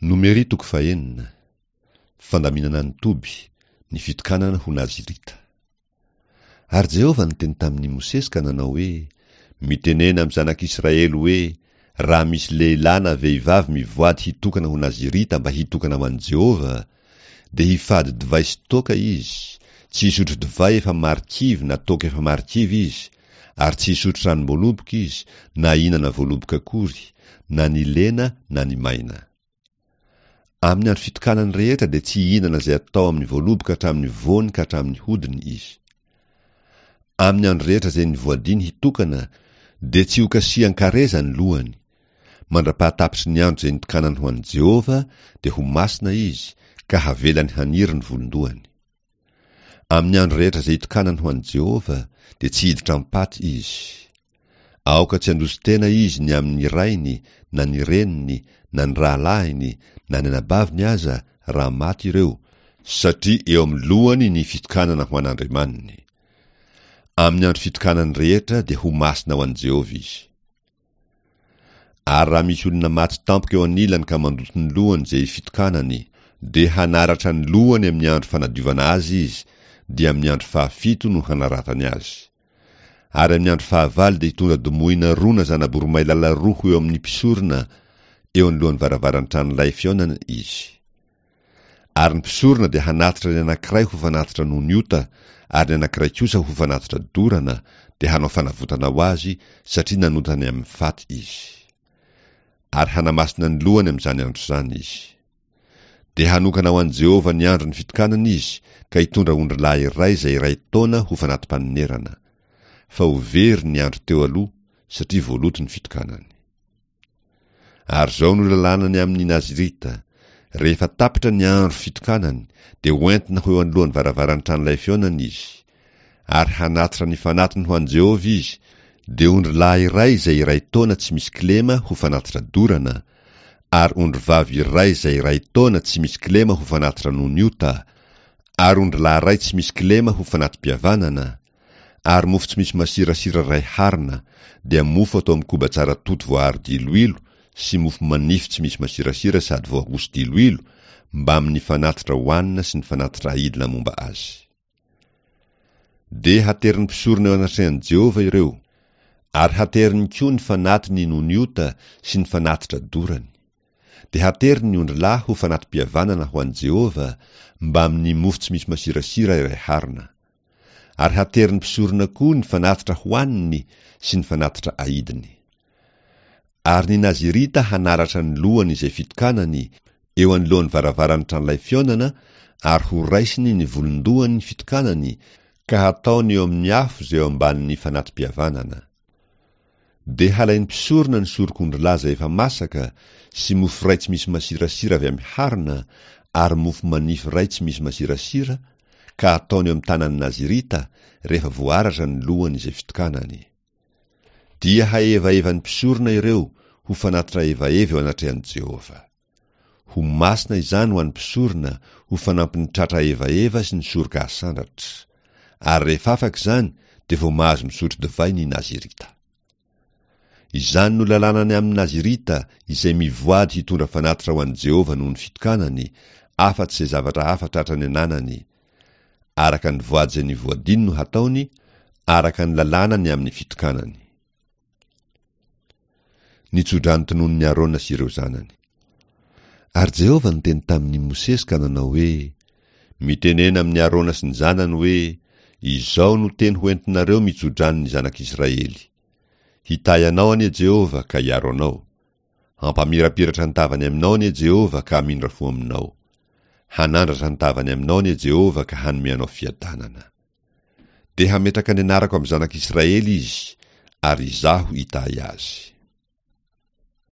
Nomery toko fahenina, Fandaminana ny toby, ny fitokanana ho Nazirita. Ary Jehovah niteny tamin'i Mosesy ka nanao hoe, Mitenena amin'ny zanak'Israely hoe, 'Raha misy lehilahy na vehivavy mivoady hitokana ho Nazirita mba hitokana ho an'i Jehovah, dia hifady divay sy toaka izy, tsy hisotro divay efa marikivy na toaka efa marikivy izy, ary tsy hisotro ranom-boaloboka izy, na hihinana voaloboka akory, na ny lena na ny maina. Amin'ny andro fitokanany rehetra dia tsy hihinana izay atao amin'ny voaloboka hatramin'ny voany ka hatramin'ny hodiny izy. Amin'ny andro rehetra izay nivoadiany hitokana dia tsy hokasihan-kareza ny lohany. Mandra-pahatapitry ny andro izay nitokanany ho an'i Jehovah dia ho masina izy, ka havelany haniry ny volon-dohany. Amin'ny andro rehetra izay itokanany ho an'i Jehovah, dia tsy hiditra am-paty izy. Aoka tsy handroso-tena izy ny amin'ny rainy, na ny reniny, na ny rahalahiny, na ny anabaviny aza, raha maty ireo, satria eo amin'ny lohany ny fitokanana ho an'Andriamaniny. Amin'ny andro fitokanany rehetra dia ho masina ho an'i Jehovah izy. Ary raha misy olona maty tampoka eo anilany ka mandoto ny lohany izay fitokanany, dia hanaratra ny lohany amin'ny andro fanadiovana azy izy, dia amin'ny andro fahafito no hanaratany azy. Ary amin'ny andro fahavalo dia hitondra domohina roa na zana-boromailala roa ho eo amin'ny mpisorona, eo anoloan'ny varavaran'ny tranolay fihaonana izy. Ary ny mpisorona dia hanatitra ny anankiray ho fanatitra noho ny ota, ary ny anankiray kosa ho fanatitra dorana, dia hanao fanavotana ho azy, satria nanota ny amin'ny faty izy. Ary hanamasina ny lohany amin'izany andro izany izy. Dia hanokana ho an'i Jehovah ny andron'ny fitokanana izy, ka hitondra ondrilahy iray izay iray taona ho fanati-panonerana. Fa ho very ny andro teo aloha, satria voaloto ny fitokanany. Ary izao no lalàna ny amin'ny Nazirita, Rehefa tapitra ny andro fitokanany, dia hoentina ho eo anoloan'ny varavaran'ny tranolay fihaonana izy. Ary hanatitra ny fanatiny ho an'i Jehovah izy, dia ondrilahy iray izay iray taona tsy misy kilema ho fanatitra dorana, ary ondrivavy iray izay iray taona tsy misy kilema ho fanatitra noho ny ota, ary ondrilahy iray tsy misy kilema ho fanati-pihavanana, Ary mofo tsy misy masirasira iray harona, dia mofo atao amin'ny koba tsara toto voaharo diloilo sy mofo manify tsy misy masirasira sady voahoso-diloilo, mbamin'ny fanatitra hohanina sy ny fanatitra aidina momba azy. Dia haterin'ny mpisorona eo anatrehan'i Jehovah ireo, ary hateriny koa ny fanatiny noho ny ota sy ny fanatitra dorany. Dia hateriny ny ondrilahy ho fanati-pihavanana ho an'i Jehovah, mbamin'ny mofo tsy misy masirasira iray harona. Ary haterin'ny mpisorona koa ny fanatitra hohaniny sy ny fanatitra aidiny. Ary ny Nazirita hanaratra ny lohany izay fitokanany, eo anoloan'ny varavaran'ny tranolay fihaonana, ary horaisiny ny volon-dohany fitokanany, ka hataony eo amin'ny afo izay eo ambanin'ny fanati-pihavanana. Dia halain'ny mpisorona ny sorok'ondrilahy izay efa masaka, sy mofo iray tsy misy masirasira avy amin'ny harona, ary mofo manify iray tsy misy masirasira, ka hataony eo amin'ny tanan'ny Nazirita, rehefa voaratra ny lohany izay fitokanany. Dia hahevahevan'ny mpisorona ireo ho fanatitra hevaheva eo anatrehan'i Jehovah. Ho masina izany ho an'ny mpisorona ho fanampin'ny tratra hevaheva sy ny soroka asandratra. Ary rehefa afaka izany, dia vao mahazo misotro divay ny Nazirita. Izany no lalàna ny amin'ny Nazirita izay mivoady hitondra fanatitra ho an'i Jehovah noho ny fitokanany, afa-tsy izay zavatra hafa tratrany ananany. Araka ny voady izay nivoadiany no hataony, araka ny lalàna ny amin'ny fitokanany. Ny tsodrano tononin'i Arona sy ireo zanany. Ary Jehovah niteny tamin'i Mosesy ka nanao hoe, Mitenena amin'i Arona sy ny zanany hoe, Izao no teny hoentinareo mitsodrano ny zanak'Israely, Hitahy anao anie Jehovah ka hiaro anao. Hampamirapiratra ny tavany aminao anie Jehovah ka hamindra fo aminao. Hanandratra ny tavany aminao anie Jehovah ka hanome anao fiadanana. Dia hametraka ny anarako amin'ny zanak'Israely izy, ary Izaho hitahy azy.